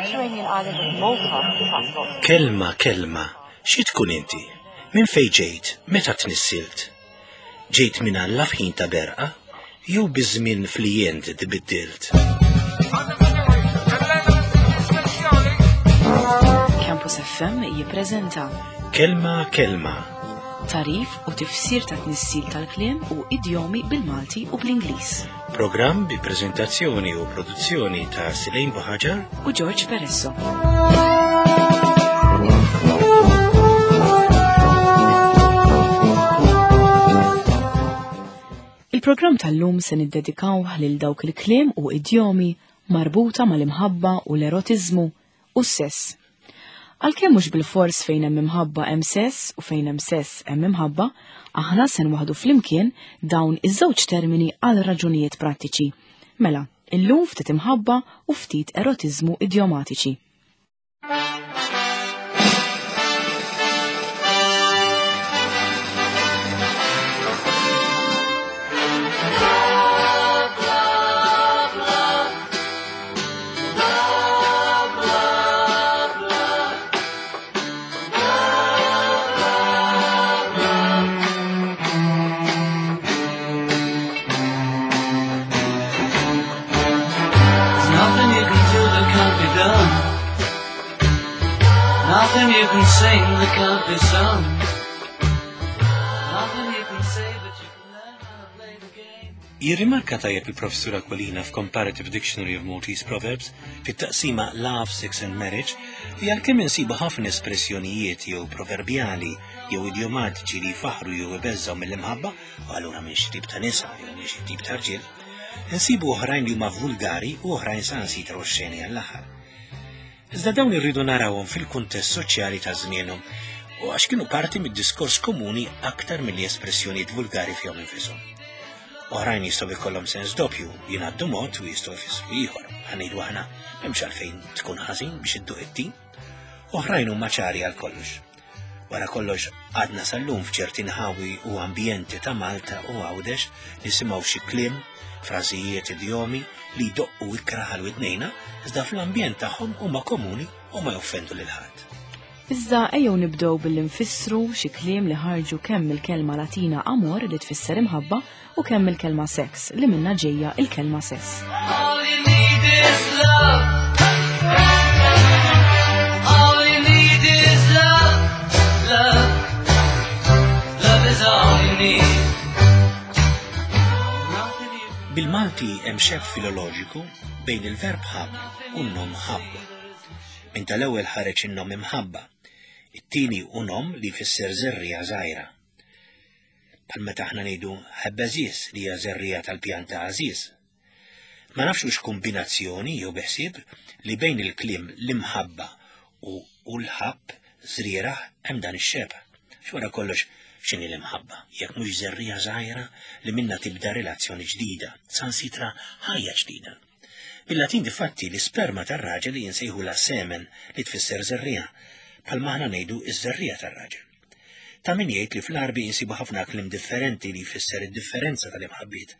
Mediterranean island of Malta has Kelma, kelma, xi tkun inti? Minn fejn ġejt? Meta tnissilt? Ġejt minn Alla f'ħin ta' berqa? Jew biż-żmien flijent tbiddilt? Campus FM jippreżenta Kelma, kelma. Tarif u tifsir ta' tnissil tal-kliem u idjomi bil-Malti u bl-Ingliż. Programm bi preżentazzjoni u produzzjoni ta' Silejn Buħaġar u George Peresso. Il-programm tal-lum se niddedikawh lil dawk il-kliem u idjomi marbuta mal-imħabba u l-erotiżmu u s-sess. Għalkemm mhux bilfors fejn hemm imħabba hemm sess u fejn hemm sess hemm imħabba, aħna se nwaħdu flimkien dawn iż-żewġ termini għal raġunijiet prattiċi. Mela, illum ftit imħabba u ftit erotiżmu idjomatiċi. Nothing you can sing that can't be sung. Nothing you can say but you can learn how to play the game. Jirrimarka tajjeb il-Professur Aquilina f'Comparative Dictionary of Maltese Proverbs fit-taqsima Love, Sex and Marriage li għalkemm insibu ħafna espressjonijiet jew proverbjali jew idjomatiċi li jfaħħru jew ibeżżgħu mill-imħabba u allura minn xi tip ta' nisa jew minn xi tip ta' rġiel, insibu oħrajn li huma vulgari u oħrajn saħansitra oxxeni għall-aħħar. Iżda dawn irridu narawhom fil-kuntest soċjali ta' żmienhom u għax kienu parti mid-diskors komuni aktar milli espressjonijiet vulgari fihom infishom. Oħrajn jistgħu jkollhom sens doppju, jingħaddu mod u jistgħu jfissru ieħor. Ħanejdu aħna m'hemmx għalfejn tkun ħażin biex idduq it-tin. Oħrajn huma ċari għal kollox. Wara kollox għadna sal-lum f'ċerti nħawi u ambjenti ta' Malta u Għawdex nisimgħu xi kliem, frażijiet, idjomi li jdoqqu ikrah għal widnejna, iżda fl-ambjent tagħhom huma komuni u ma joffendu lil ħadd. Iżda ejjew nibdew billi nfissru xi kliem li ħarġu kemm mill-kelma Latina amor li tfisser imħabba u kemm mill-kelma sex li minnha ġejja il-kelma sess. All you need is love. All you need is love. Love. Love is all you need. Nothing you Bil-Malti hemm xebh filoloġiku bejn il-verb ħabb u n-nom ħabb. Minn tal-ewwel ħareġ in-nom imħabba. It-tieni hu nom li jfisser żerriegħa żgħira. Bħal meta aħna ngħidu ħebb għeżież li hija żerriegħa tal-pjanta għażiż. Ma nafx hux kombinazzjoni jew bi ħsieb li bejn il-kliem l-imħabba u u l-ħabb żrieragħ hemm dan ix-xebh. X'wara kollox x'inhi l-imħabba jekk mhux żerriegħa żgħira li minnha tibda relazzjoni ġdida, sansitra ħajja ġdida. Bil-Latin difatti l-isperma tar-raġel jinsejħulha semen li tfisser żerriegħa, bħalma aħna ngħidu ż-żerriegħa tar-raġel. Ta' min jgħid li fl-Għarbi insibu ħafna kliem differenti li jfisser id-differenza tal-imħabbiet.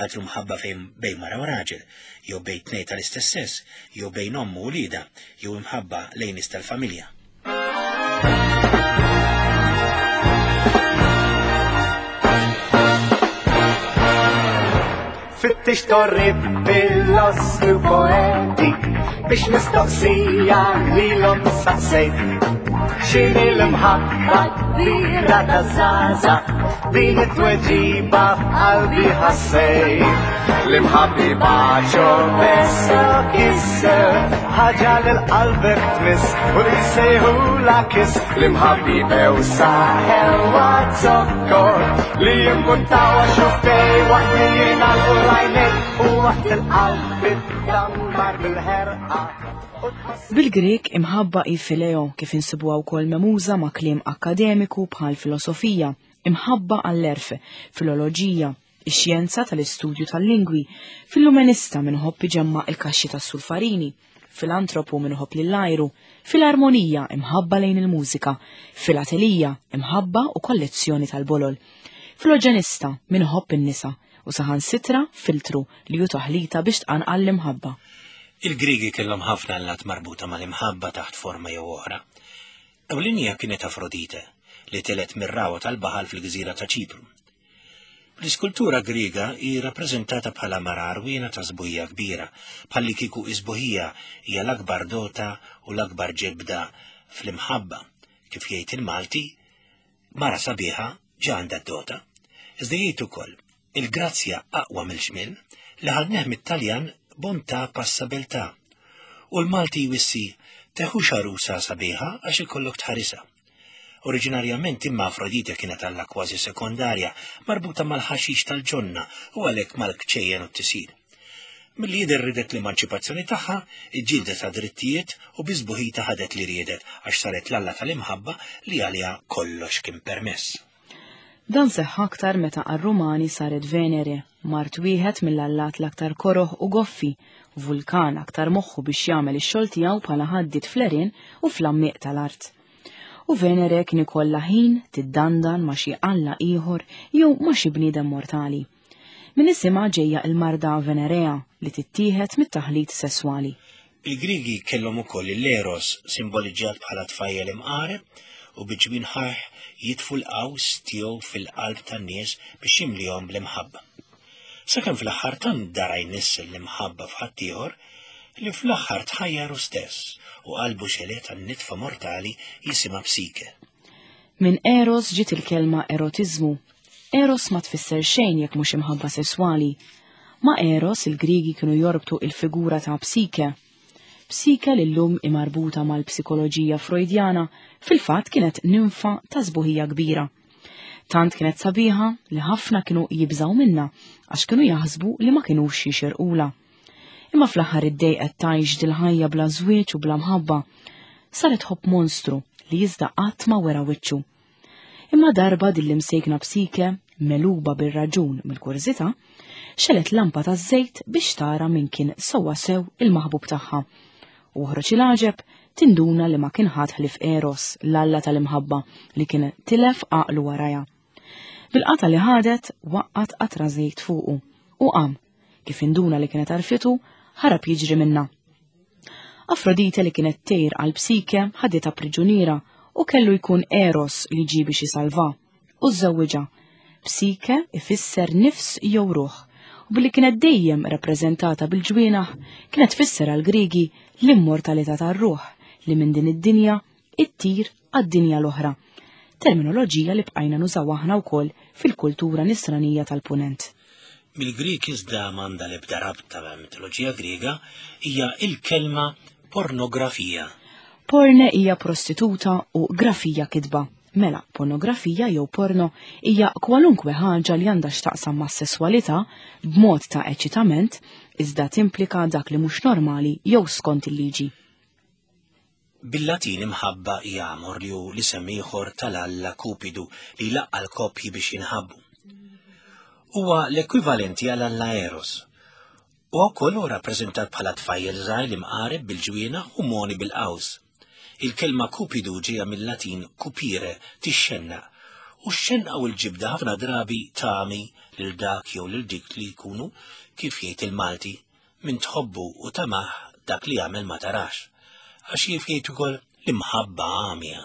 Altru mħabba fejn bejn mara u raġel, jew bejn tnejn tal-istess sess, jew bejn omm u wliedha, jew imħabba lejn nies tal-familja. Fittix torri filosfi u poeti biex mistoqsija lilhom saqsejt. X'inhi l-imħabba kbira ta' żgħażagħ din it-tweġiba f'qalbi ħassejt. L-imħabbi baċo beso kisser ħaġa lil qalbek tmiss u li sejħula kiss l-imħabbi bewsa ħelwa zokkor li jimmuntaw xuftej waqt li jingħalqu l-għajnejn u waqt il-qalb iddambar bil-ħerqa. Bil-Grieg imħabba hi fileo kif insibuha wkoll memuża ma' kliem akkademiku bħal filosofija, imħabba għall-għerf, filoloġija, ix-xjenza tal-istudju tal-lingwi, fil-lumenista min iħobb iġemma' il-kaxxi tas-sulfarini, filantropu min iħobb lill-ajru, filarmonija imħabba lejn il-mużika, filatelija imħabba u kollezzjoni tal-bolol, filoġenista min iħobb in-nisa u saħansitra filtru li hu taħlita biex tqanqal l-imħabba. Il-Griegi kellhom ħafna allat marbuta mal-imħabba taħt forma jew oħra. Ewlenija kienet Afrodite, li telgħet mir-ragħwa tal-baħar fil-gżira ta' Ċipru. Fl-iskultura Griega hi rappreżentata bħala mara għarwiena ta' sbuħija kbira, bħallikieku is-sbuħija hija l-akbar dota u l-akbar ġebda fl-imħabba. Kif jgħid il-Malti, mara sabiħa ġa għandha d-dota. Iżda jgħid ukoll, il-grazzja aqwa mill-ġmiel, li ħadnih mit-Taljan bontà passa beltà. U l-Malti jwissi, teħux għarusa sabiħa għax ikollok tħarisha. Oriġinarjament imma Afrodite kienet alla kważi sekondarja, marbuta mal-ħaxix tal-ġonna u għalhekk mal-kċejjen u t-tisir. Milli jidher ridet l-emanċipazzjoni tagħha, iġġieldet għad-drittijiet u bi sbuħita ħadet li riedet għax saret l-alla tal-imħabba li għaliha kollox kien permess. Dan seħħ aktar meta għar-Rumani saret Venere, mart wieħed mill-allat l-aktar koroh u goffi, vulkan aktar moħħu biex jagħmel ix-xogħol tiegħu bħala ħaddied fl-għerien u fl-għammieq tal-art. U Venere kien ikollha ħin tiddandan ma' xi alla ieħor jew ma' xi bniedem mortali. Minn isimha ġejja l-marda venerea li tittieħed mit-taħlit sesswali. Il-Griegi kellhom ukoll l-Eros, simboliġġjat bħala tfajjel imqareb u bi ġwinħajh jitfu l-qaws tiegħu fil-qalb tan-nies biex jimlihom bl-imħabba. Sakemm fl-aħħar tant dara jnissel l-imħabba f'ħaddieħor li fl-aħħar tħajjar hu stess u qalbu xelet għan-nitfa mortali jisimha Psike. Minn Eros ġiet il-kelma erotiżmu. Eros ma tfisser xejn jekk mhux imħabba sesswali. Ma' Eros il-Griegi kienu jorbtu il-figura ta' Psike. Psike li llum hi marbuta mal-psikoloġija Freudjana fil-fatt kienet ninfa ta' sbuħija kbira. Tant kienet sabiħa li ħafna kienu jibżgħu minnha għax kienu jaħsbu li ma kinux jixirqulha. Imma fl-aħħar iddejqet tgħix dil-ħajja bla żwieġ u bla mħabba. Saret tħobb monstru li iżda qatt ma wera wiċċu. Imma darba din l-imsejkna Psike, megħluba bir-raġun mill-kurżità, xelet lampa taż-żejt biex tara min kien sewwa sew il-maħbub tagħha. U oħroġ il-għaġeb, tinduna li ma kien ħadd ħlief Eros, l-alla tal-imħabba, li kien tilef għaqlu warajha. Bil-qatgħa li ħadet, waqqgħet qatra żejt fuqu u qam. Kif induna li kienet għarfitu, ħarab jiġri minnha. Afrodite li kienet tgħir għal Psike ħaditha priġuniera u kellu jkun Eros li ġie biex isalvha u żżewwiġha. Psike ifisser nifs jew ruħ u billi kienet dejjem rappreżentata bil-ġwienaħ kienet tfisser għall-Griegi l-immortalità tar-ruħ li minn din id-dinja ittir għad-dinja l-oħra. Terminoloġija li bqajna nużaw aħna wkoll fil-kultura nisranija tal-Punent. Mill-Grieg iżda m'għandha l-ebda rabta mal-mitoloġija Griega hija l-kelma pornografija. Porne hija prostituta u grafija kitba. Mela, pornografija jew porno hija kwalunkwe ħaġa li għandha x'taqsam mas-sesswalità b'mod ta' eċitament iżda timplika dak li mhux normali jew skont il-liġi. Bil-Latin imħabba hija amor li hu l-isem ieħor tal-alla Kupidu li jlaqqa' l-koppji biex jinħabbu. Huwa l-ekwivalenti għal alla Eros. Huwa wkoll hu rappreżentat bħala tfajjel żgħir li mqareb bil-ġwienaħ u moni bil-qaws. Il-kelma Kupidu ġejja mill-Latin cupire, tixxennaq, u x-xenqa u l-ġibda ħafna drabi tagħmi lil dak jew lil dik li jkunu, kif jgħid il-Malti, Min tħobbu u tamah dak li jagħmel ma tarax. Għax jif jgħid ukoll l-imħabba għamja.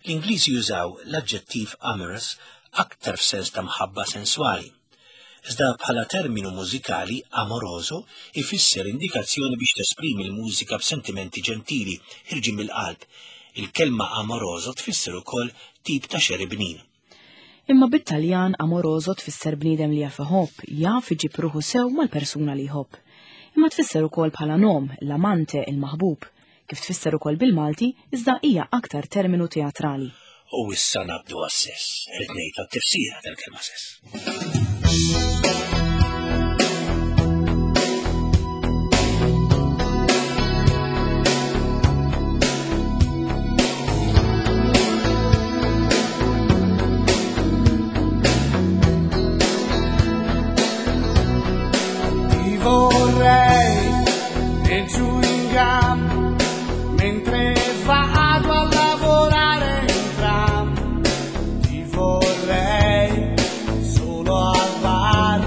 L-Ingliżi jużaw l-aġġettiv amorous aktar f'sens ta' mħabba senswali. Iżda bħala terminu mużikali amoroso ifisser indikazzjoni biex tesprimi l-mużika b'sentimenti ġentili ħirġin mill-qalb. Il-kelma amoroso tfisser ukoll tip ta' xeri bnin. Imma bit-Taljan amoroso tfisser bniedem li jaf iħobb, jaf iġib ruħu sew mal-persuna li jħobb. Imma tfisser ukoll bħala nom, l-amante, il-maħbub. Kif tfisser ukoll bil-Malti, iżda hija aktar terminu teatrali. U issa ngħaddu għas-sess. Rrid ngħid għat-tifsira tal-kelma sess. Ti vorrei nel chewing gum mentre vado a lavorare in tram. Ti vorrei solo al bar,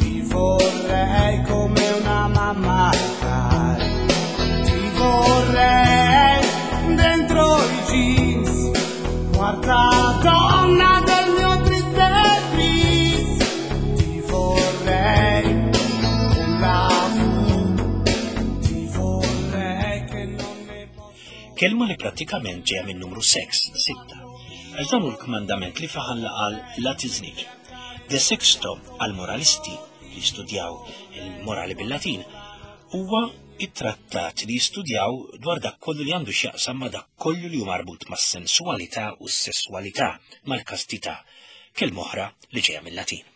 ti vorrei come una mamma cara. Kelma li prattikament ġejja minn numru sex, sitta. Għax dan hu l-kmandament li fih Alla qal la tiżnix. De sexto għall-moralisti li studjaw il-morali bil-Latin huwa it-trattat li jistudjaw dwar dak kollu li għandu x'jaqsam ma' dak kollu li hu marbut mas-sensualità u s-sesswalità, mal-kastità, kelma oħra li ġejja mill-Latin.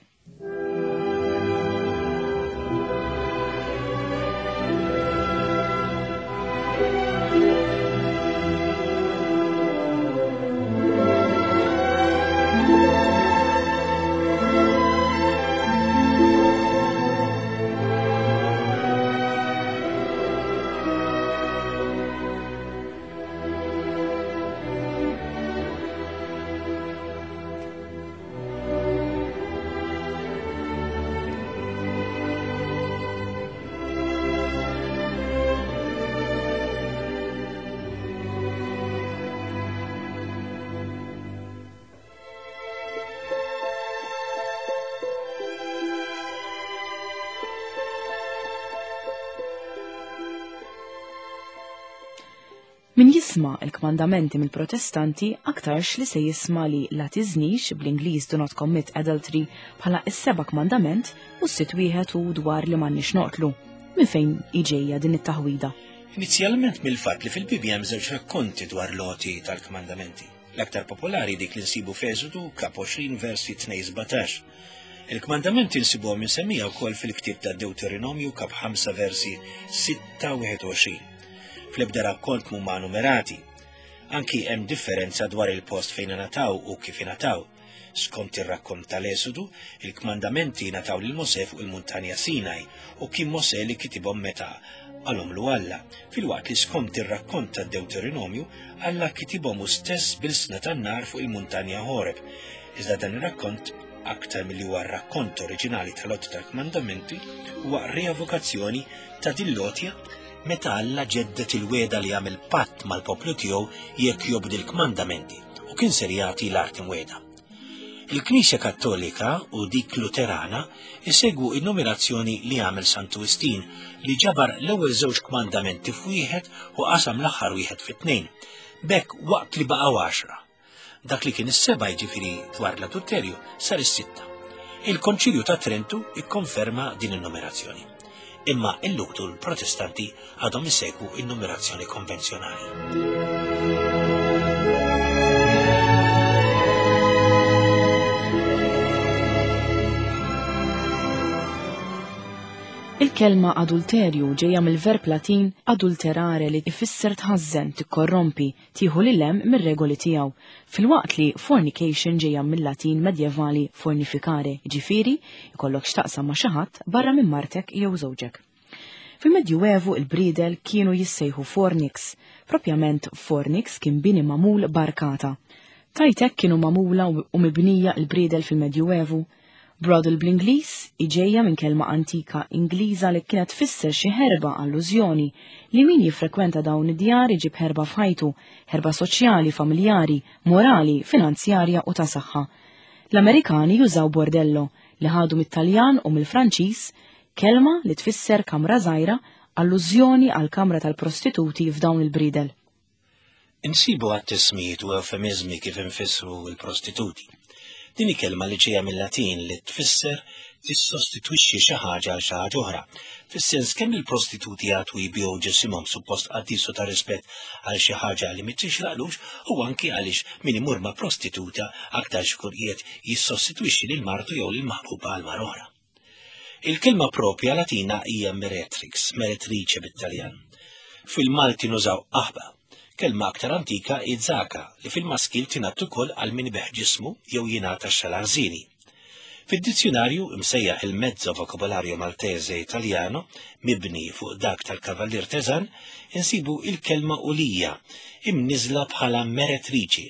Min jisma' l-kmandamenti mill-Protestanti aktarx li se jisma' li la tiżnix, bl-Ingliż do not commit adultery, bħala s-seba' kmandament u s-sitt wieħed hu dwar li m'għandniex noqtlu. Minn fejn hi ġejja din it-taħwida? Inizjalment mill-fatt li fil-Bibbja hemm żewġ rakkonti dwar l-għoti tal-kmandamenti. L-aktar popolari dik li nsibu f'Eżodu kap 20 versi 2-17. Il-kmandamenti nsibuhom insemmija wkoll fil-ktieb ta' Dewteronomju kap 5 versi 6-21. Fl-ebda rakkont mhuma numerati. Anki hemm differenza dwar il-post fejn ingħataw u kif ingħataw. Skont ir-rakkont tal-Esodu, il-kmandamenti ngħataw lil Mosè fuq il-muntanja Sinaj u kien Mosè li kitibhom meta qalhomlu Alla, filwaqt li skont ir-rakkont tad-Dewteronomju, Alla kitibhom hu stess b'ilsna tan-nar fuq il-muntanja Ħoreb. Iżda dan ir-rakkont, aktar milli huwa r-rakkont oriġinali tal-għoti tal-kmandamenti, huwa rievokazzjoni ta' din l-għotja meta Alla ġedded il-wegħda li għamel patt mal-poplu tiegħu jekk jobdi l-kmandamenti u kien ser jagħti l-art imwiegħda. Il-Knisja Kattolika u dik Luterana isegwu in-numerazzjoni li għamel Santu Wistin li ġabar l-ewwel żewġ kmandamenti f'wieħed u qasam l-aħħar wieħed fi tnejn. B'hekk waqt li baqgħu għaxra. Dak li kien is-seba' jiġifieri dwar l-adulterju sar is-sitta. Il-Konċilju ta' Trentu ikkonferma din in-numerazzjoni. Imma il-Luther u l-Protestanti għadhom isegwu in-numerazzjoni konvenzjonali. Il-kelma adulterju ġejja mill-verb Latin adulterare li ifisser tħażżen, tikkorrompi, tieħu lil hemm mir-regoli tiegħu, filwaqt li fornication ġejja mil-Latin medjevali fornificare, jiġifieri jkollok x'taqsam ma' xi ħadd barra minn martek jew żewġek. Fil-Medjuevu il-briedel kienu jissejħu fornix. Propjament fornix kien bini magħmul b'arkata. Tgħid hekk kienu magħmula u mibnija l-briedel fil-Medjuevu? Brothel bl-Ingliż hi ġejja minn kelma antika Ingliża li kienet tfisser xi ħerba allużjoni li min jiffrekwenta dawn id-djar iġib ħerba f'ħajtu, ħerba soċjali, familjari, morali, finanzjarja u ta' saħħa. L-Amerikani jużaw bordello, li ħadu mit-Taljan u mill-Franċiż, kelma li tfisser kamra żgħira, allużjoni għall-kamra tal-prostituti f'dawn il-briedel. Insibu għadd ismijiet u ewfemiżmi kif infissru l-prostituti. Din hi kelma li ġejja mil-Latin li tfisser tissostitwixxi xi ħaġa għal xi ħaġa oħra, fis-sens kemm il-prostituti jagħtu jbigħu ġisimhom suppost qaddis u ta' rispett għal xi ħaġa li mi tixraqlux u anki għaliex min imur ma' prostituta aktarx ikun qiegħed jissostitwixxi lil martu jew lil maħbuba għal mara oħra. Il-kelma propja Latina hija meretrix, meretrice bit-Taljan. Fil-Malti nużaw qaħba. Kelma aktar antika hi zaka li fil-maskil tingħad ukoll għal min ibigħ ġismu jew jingħata x-xalarżini. Fid-dizzjunarju imsejjaħ il-Mezzo Vocabolario Maltese Italiano, mibni fuq dak tal-Kavallier Tesan, insibu il-kelma ulija, imniżżla bħala meretriċi.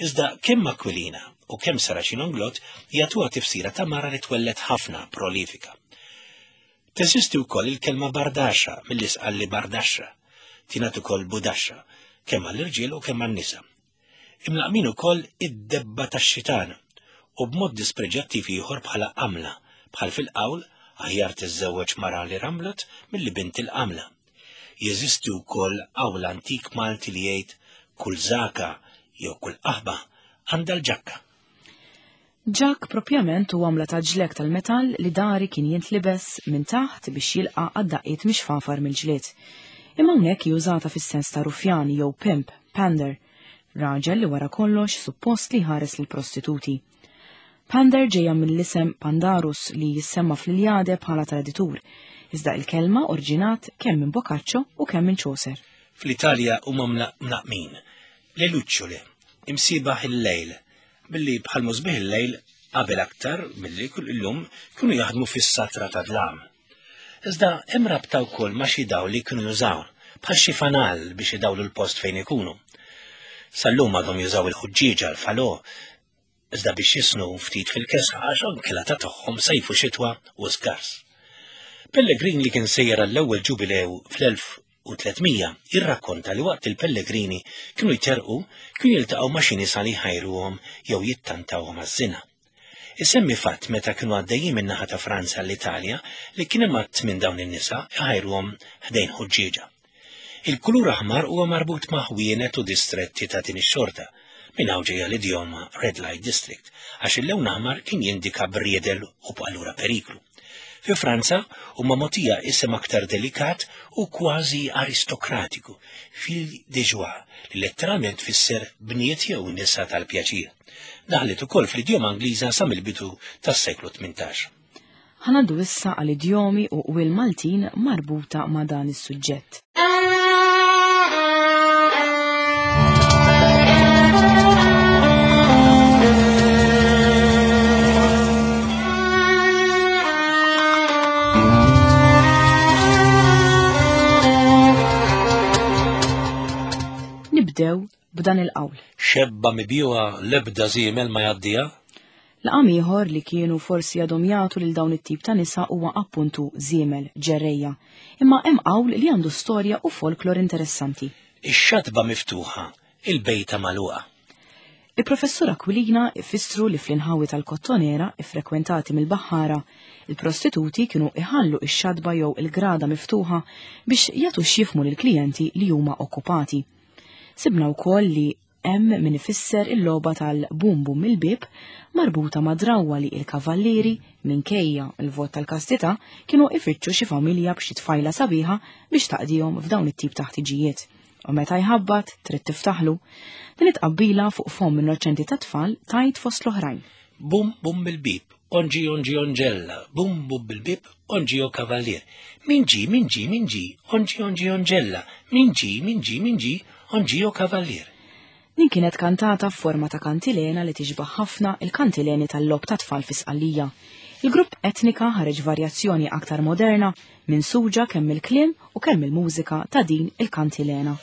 Iżda kemm Aquilina u kemm Saracino Inglott jagħtuha tifsira ta' mara li twelled ħafna, prolifika. Teżisti wkoll il-kelma bardaxa mill-isqalli bardaxxa. Tingħad ukoll budaxxa, kemm għall-irġiel u kemm għan-nisa. Imlaqmin ukoll id-debba tax-xitan u b'mod dispreġjattiv ieħor bħala qamla, bħal fil-qawl aħjar tiżżewweġ mara li ramlet milli bint il-qamla. Jeżisti wkoll qawl antik Malti li jgħid kull żaka jew kull qaħba għandha l-ġakka. Ġakk propjament hu għamla ta' ġlekk tal-metall li dari kien jintlibes minn taħt biex jilqa' għad-daqqiet mix-xfafar mill-ġlied. Imma hawnhekk hi użata fis-sens ta' ruffjan jew pimp, pander, raġel li wara kollox suppost li jħares lill-prostituti. Pander ġejja mill-isem Pandarus li jissemma fl-Iljade bħala traditur, iżda il-kelma orġinat kemm minn Boccaccio u kemm minn Chaucer. Fl-Italja huma mlaqqmin le lucciole, imsiebaħ il-lejl, billi bħal musbieħ il-lejl qabel aktar milli kull illum kienu jaħdmu fis-satra ta' dlam. Iżda hemm rabta wkoll ma' xi dawl li kienu jużaw, bħal xi fanal biex idawlu l-post fejn ikunu. Sal-lum għadhom jużaw il-ħuġġieġa, l-falò, iżda biex jisnu ftit fil-kesħa għax anke la tagħhom sajfu xitwa u skars. Pellegrin li kien sejjer għall-ewwel ġubilew fl-1300 jirrakkonta li waqt il-pellegrini kienu jterqu kienu jiltaqgħu ma' xi nisa li jħajruhom jew jittantawhom għaż-żina. Isemmi fatt meta kienu għaddejjin min-naħa ta' Franza l-Italja li kien hemm għadd minn dawn in-nisa jħajruhom ħdejn ħuġġieġa. Il-kulur aħmar huwa marbut ma' ħwienet u distretti ta' din ix-xorta. Minn hawn ġejja l-idjoma Red Light District, għax il-lewn aħmar kien jindika briedel u allura periklu. Fi Franza huma mogħtija isem aktar delikat u kważi aristokratiku, fille de joie, li letteralment tfisser bniet jew nisa tal-pjaċir. Daħlet ukoll fl-idjoma Ingliża sa mill-bidu tas-seklu 18. Ħa ngħaddu issa għal idjomi u qwiel Maltin marbuta ma' dan is-suġġett. Nibdew b'dan il-qawl. Xebba mibjuha l-ebda żiemel ma jgħaddiha. Laqam ieħor li kienu forsi għadhom jagħtu lil dawn it-tip ta' nisa huwa appuntu żiemel, ġerrejja. Imma hemm qawl li għandu storja u folklor interessanti. Ix-xatba miftuħa, il-bejta magħluqa. Il-Professur Aquilina ifissru li fl-inħawi tal-Kottonera iffrekwentati mill-baħħara, il-prostituti kienu iħallu ix-xatba jew il-grada miftuħa biex jagħtu x'jifhmu lill-klijenti li huma okkupati. Sibna wkoll li Hemm min ifisser il-logħba tal-bum bum il-bieb marbuta ma' drawwa li il-kavallieri, minkejja l-vot tal-kastità, kienu ifittxu xi familja b'xi tfajla sabiħa biex taqdihom f'dawn it-tip ta' ħtiġijiet. U meta jħabbat, trid tiftaħlu. Din it-tqabbila fuq fomm innoċenti ta' tfal tgħid fost l-oħrajn. Bum bum il-bieb, onġi onġi onġella, bum bum bil-bieb, onġi o kavallier. Min ġie, min ġie, min ġie, onġi onġi onġella, min ġie, min ġie, min ġie, onġi o kavallier. Din kienet kantata f'forma ta' kantilena li tixbah ħafna il-kantileni tal-logħob tat-tfal fi Sqallija. Il-grupp Etnika ħareġ varjazzjoni aktar moderna minsuġa kemm mill-kliem u kemm mill-mużika ta' din il-kantilena.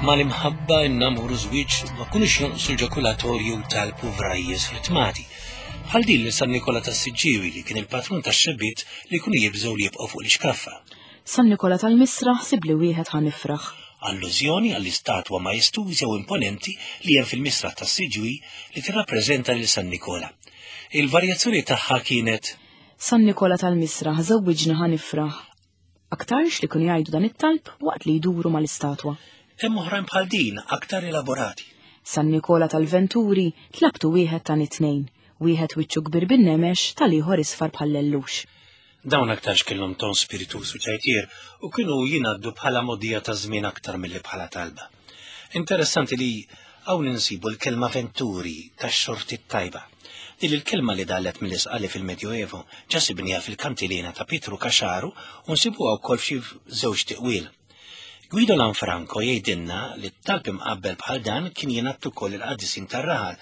Mal-imħabba in-namur u żwieġ ma kunux jonqsu l-ġakulatorju tal-puvrajjes ritmati. Bħal din li San Nikola tas-Siġġiewi li kien il-patrun tax-xebbiet li jkunu jibżgħu li jibqgħu fuq l-ixkaffa. San Nikola tal-Misra ħsib li wieħed ħa nifraħ. Allużjoni għall-istatwa majestuża u imponenti li hemm fil-Misraħ tas-Siġġiewi li tirrappreżenta lil San Nikola. Il-varjazzjoni tagħha kienet. San Nikola tal-Misraħ żewwiġni ħa nifraħ. Aktarx li kienu jgħidu dan it-talb waqt li jduru mal-istatwa. Hemm oħrajn bħal din aktar elaborati. San Nikola tal-Venturi tlabtu wieħed ta' nitnejn, wieħed wiċċu kbir bin-nemex tal-ieħor isfar bħal lellux. Dawn aktarx kellhom ton spirituż u ċajtier u kienu jingħaddu bħala mogħdija ta' żmien aktar milli bħala talba. Interessanti li hawn insibu l-kelma venturi tax-xorti t-tajba. Din il-kelma li dalet mill-Isqali fil-Medjoevo ġa sibniha fil-kantilena ta' Pietru Caxaru u nsibuha wkoll f'xi żewġ tiqwiel. Guido Lanfranco jgħidilna li t-talb imqabbel bħal dan kien jingħad ukoll il-qaddisin tar-raħal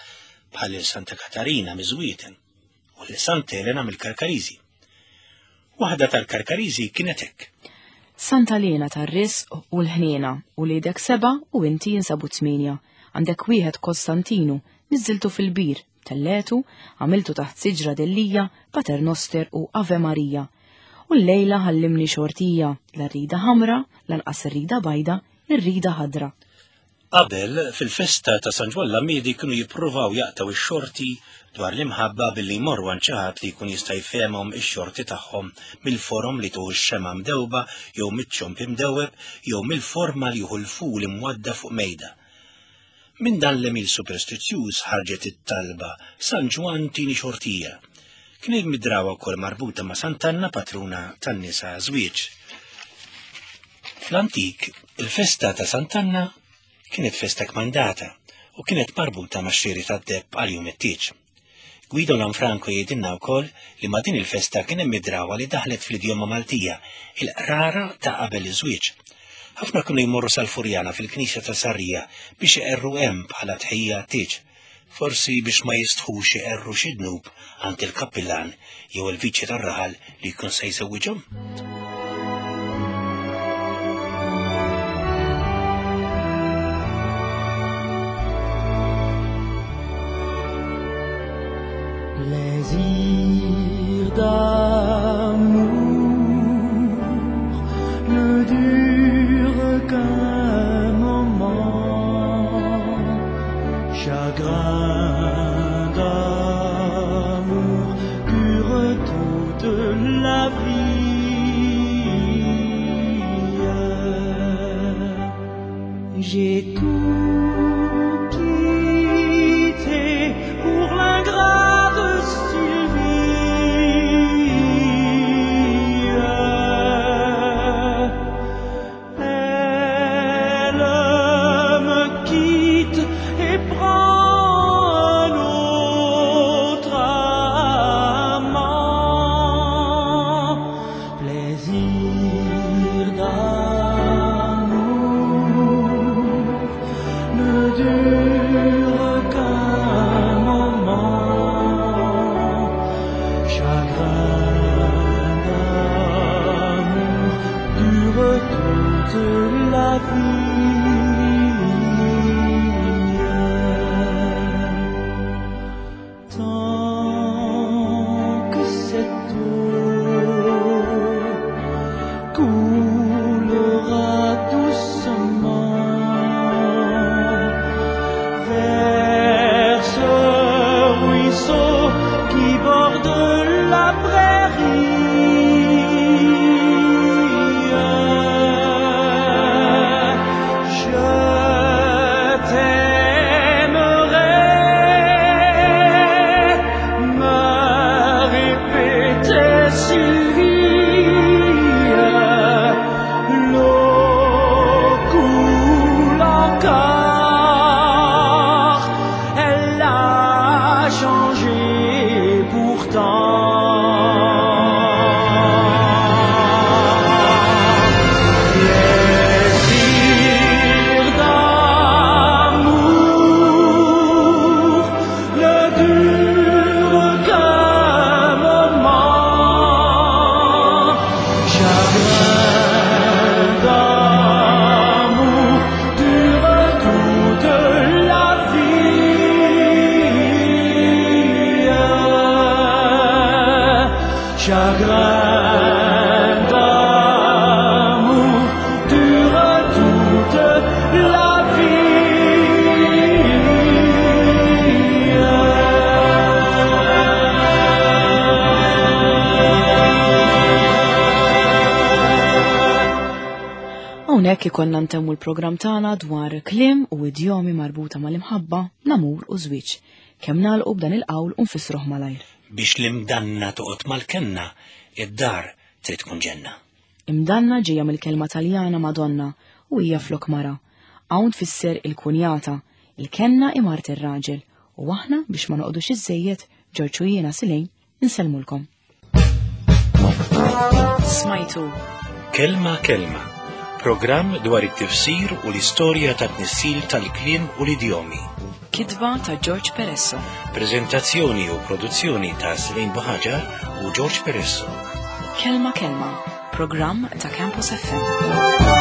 bħal lil Santa Katarina miż-Żwieten u lil Santa Elena mill-Karkariżi. Waħda tal-Karkariżi kienet hekk. Santa Lena tar-risq u l-ħniena, uliedek seba' u inti jinsabu tmienja. Għandek wieħed Kostantinu, niżżiltu fil-bir, telletu, għamiltu taħt siġra dellija, Pater Noster u Ave Marija. U llejla ħallimni xortija, la rrida ħamra, lanqas irrida bajda, irrida ħadra. Qabel, fil-festa ta' San Ġwann l-Għammiedi kienu jippruvaw jaqtgħu x-xorti dwar l-imħabba billi jmorru għand xi ħadd li jkun jista' jfehemhom ix-xorti tagħhom mill-forom li tuħu x-xemgħa mdewba jew miċ-ċomb imdewweb jew mill-forma li jieħu l-ful imwadda fuq mejda. Minn dan l-għemil superstizzjuż ħarġet it-talba San Ġwann tini xortija. Kien hemm id-drawwa wkoll marbuta ma' Sant'Anna patruna tan-nisa żwieġ. Fl-antik, il-festa ta' Sant'Anna kienet festa kmandata u kienet marbuta max-xiri tad-deheb għal jum it-tieġ. Guido Lanfranco jgħidilna wkoll li ma' din il-festa kien hemm id-drawwa li daħlet fl-idjoma Maltija, il-qrara ta' qabel iż-żwieġ. Ħafna kienu jmorru sal-Furjana fil-knisja ta' Sarrija biex iqerru hemm bħala tħejjija għat-tieġ. Forsi biex ma jistħux iqerru xi dnub għand il-kappillan jew il-viċi tar-raħal li jkun se jżewwiġhom. Plaisir d'amour ne dure qu'un moment, chagrin d'amour dure toute la vie. J'ai tout quitté pour l'ingrate Sylvie. Elle me quitte et prend un autre amant. Plaisir d'amour ne dure qu'un moment. Chagrin d'amour dure toute la vie. Tant que cette eau coulera doucement vers ce ruisseau qui borde la prairie. Je t'aimerai, me répétait Sylvie. L'eau coule encore, elle a changé pourtant. Plaisir d'amour ne dure qu'un moment. Chagrin d'amour dure toute la vie. Chagrin d'amour dure toute la vie. Hawnhekk ikollna ntemmu l-programm tagħna dwar kliem u idjomi marbuta mal-imħabba, l-amur u żwieġ. Kemm nagħlqu b'dan il-qawl u nfissruh malajr. Biex l-imdanna toqgħod mal-kenna, id-dar trid tkun ġenna. Imdanna ġejja mill-kelma Taljana Madonna u hija flok mara. Hawn tfisser il-kunjata, il-kenna hi mart ir-raġel u aħna biex ma noqogħdux iżżejjed, Ġorġ u jiena Silejn, insellmulkom. Smajtu. Kelma Kelma, programm dwar it-tifsir u l-istorja ta' tnissil tal-kliem u l-idjomi. Kitba ta' George Peresso. Prezentazzjoni u produzzjoni ta' Selin Buħaġar u George Peresso. Kelma Kelma, programm ta' Campus FM.